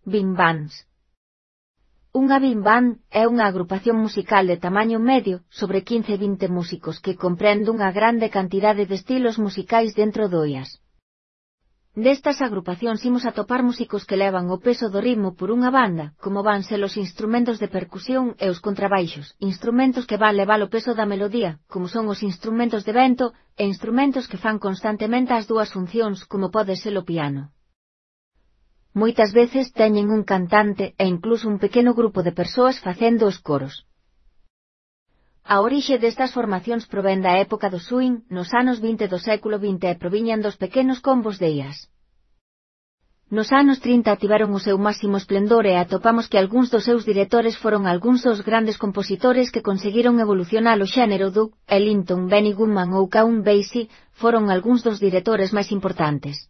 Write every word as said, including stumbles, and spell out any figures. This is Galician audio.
Big bands. Unha big band é unha agrupación musical de tamaño medio, sobre quince a vinte músicos, que comprende unha grande cantidade de estilos musicais dentro do jazz. Destas agrupacións imos atopar músicos que levan o peso do ritmo por unha banda, como van ser os instrumentos de percusión e os contrabaixos, instrumentos que van levar o peso da melodía, como son os instrumentos de vento, e instrumentos que fan constantemente as dúas funcións, como pode ser o piano. Moitas veces teñen un cantante e incluso un pequeno grupo de persoas facendo os coros. A orixe destas formacións provén da época do swing, nos anos vinte do século vinte e proviñan dos pequenos combos de jazz. Nos anos trinta tiveron o seu máximo esplendor e atopamos que algúns dos seus directores foron algúns dos grandes compositores que conseguiron evolucionar o xénero. Duke Ellington, Benny Goodman ou Count Basie foron algúns dos directores máis importantes.